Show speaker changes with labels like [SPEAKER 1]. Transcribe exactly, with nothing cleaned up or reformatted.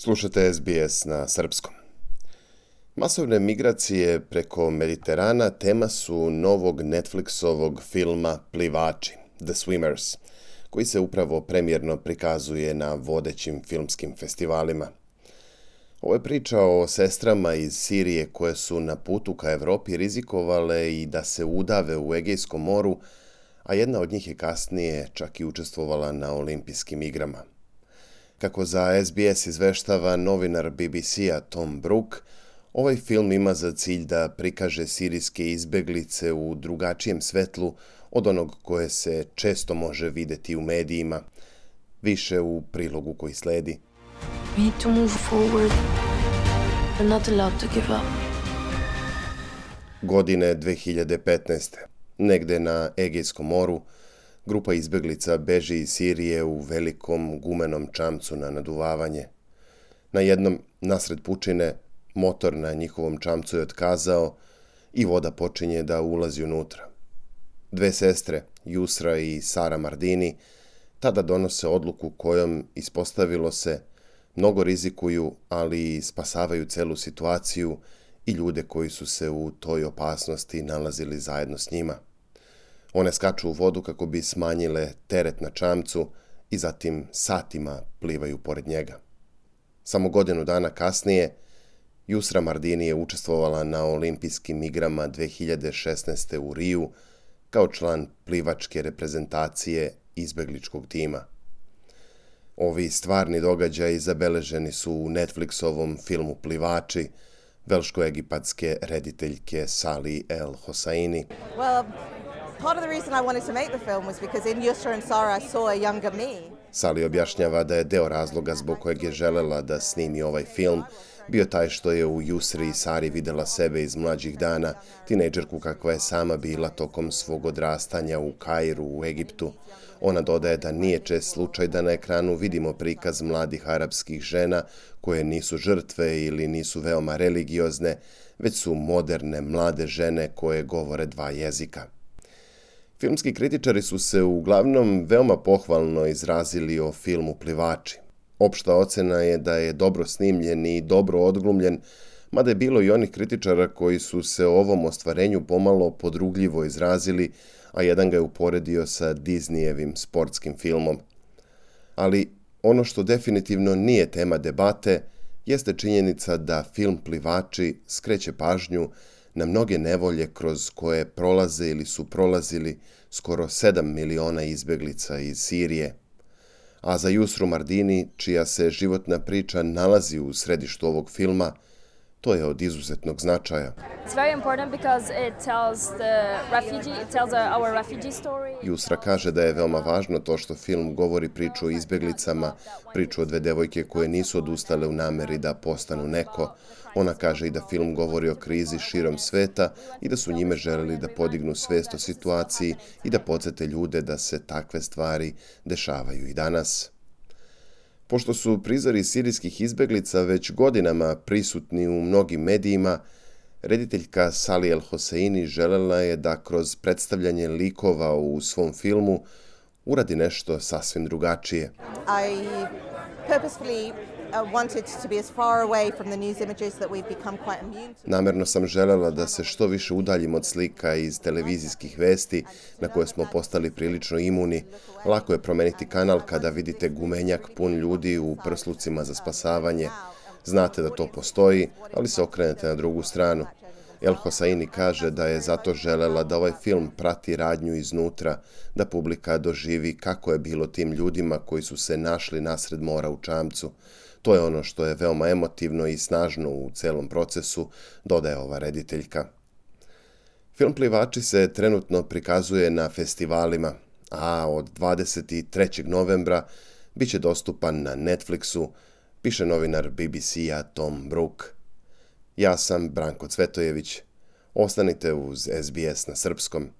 [SPEAKER 1] Slušate S B S na srpskom. Masovne migracije preko Mediterana tema su novog Netflixovog filma Plivači, The Swimmers, koji se upravo premijerno prikazuje na vodećim filmskim festivalima. Ovo je priča o sestrama iz Sirije koje su na putu ka Evropi rizikovale i da se udave u Egejskom moru, a jedna od njih je kasnije čak i učestvovala na olimpijskim igrama. Kako za S B S izveštava novinar B B C-a Tom Brook, ovaj film ima za cilj da prikaže sirijske izbeglice u drugačijem svetlu od onog koje se često može videti u medijima, više u prilogu koji sledi.
[SPEAKER 2] We need to move forward. We're not allowed to give up.
[SPEAKER 1] Godine dve hiljade petnaeste. Negde na Egejskom moru, grupa izbeglica beži iz Sirije u velikom gumenom čamcu na naduvavanje. Na jednom, nasred pučine, motor na njihovom čamcu je otkazao i voda počinje da ulazi unutra. Dve sestre, Yusra i Sara Mardini, tada donose odluku kojom, ispostavilo se, mnogo rizikuju, ali i spasavaju celu situaciju i ljude koji su se u toj opasnosti nalazili zajedno s njima. One skaču u vodu kako bi smanjile teret na čamcu i zatim satima plivaju pored njega. Samo godinu dana kasnije, Yusra Mardini je učestvovala na olimpijskim igrama dve hiljade šesnaeste. u Riju kao član plivačke reprezentacije izbegličkog tima. Ovi stvarni događaji zabeleženi su u Netflixovom filmu Plivači, velško-egipatske rediteljke Sally El Hosseini.
[SPEAKER 3] Well, part of the reason I wanted to make the film was because in Yusra and Sara I saw a younger me.
[SPEAKER 1] Sally objašnjava da je deo razloga zbog kojeg je želela da snimi ovaj film bio taj što je u Yusri i Sari videla sebe iz mlađih dana, tinejdžerku kakva je sama bila tokom svog odrastanja u Kairu, u Egiptu. Ona dodaje da nije čest slučaj da na ekranu vidimo prikaz mladih arapskih žena koje nisu žrtve ili nisu veoma religiozne, već su moderne, mlade žene koje govore dva jezika. Filmski kritičari su se uglavnom veoma pohvalno izrazili o filmu Plivači. Opšta ocena je da je dobro snimljen i dobro odglumljen, mada je bilo i onih kritičara koji su se o ovom ostvarenju pomalo podrugljivo izrazili, a jedan ga je uporedio sa Disneyevim sportskim filmom. Ali ono što definitivno nije tema debate jeste činjenica da film Plivači skreće pažnju na mnoge nevolje kroz koje prolaze ili su prolazili skoro sedam miliona izbeglica iz Sirije. A za Yusru Mardini, čija se životna priča nalazi u središtu ovog filma, to je od izuzetnog značaja.
[SPEAKER 4] It's very important because it tells the refugee, it tells our refugee story.
[SPEAKER 1] Yusra kaže da je veoma važno to što film govori priču o izbeglicama, priču o dve devojke koje nisu odustale u nameri da postanu neko. Ona kaže i da film govori o krizi širom sveta i da su njime želeli da podignu svest o situaciji i da podsete ljude da se takve stvari dešavaju i danas. Pošto su prizori sirijskih izbeglica već godinama prisutni u mnogim medijima, rediteljka Sally El Hosseini želela je da kroz predstavljanje likova u svom filmu uradi nešto sasvim drugačije.
[SPEAKER 3] I purposefully uh, wanted to be as far away from the news images that we've become quite immune to.
[SPEAKER 1] Namerno sam želela da se što više udaljim od slika iz televizijskih vesti na koje smo postali prilično imuni. Lako je promeniti kanal kada vidite gumenjak pun ljudi u prslucima za spasavanje. Znate da to postoji, ali se okrenete na drugu stranu. El Hosseini kaže da je zato želela da ovaj film prati radnju iznutra, da publika doživi kako je bilo tim ljudima koji su se našli nasred mora u čamcu. To je ono što je veoma emotivno i snažno u celom procesu, dodaje ova rediteljka. Film Plivači se trenutno prikazuje na festivalima, a od dvadeset trećeg novembra bit će dostupan na Netflixu, piše novinar B B C-a Tom Brook. Ja sam Branko Cvetojević. Ostanite uz S B S na srpskom.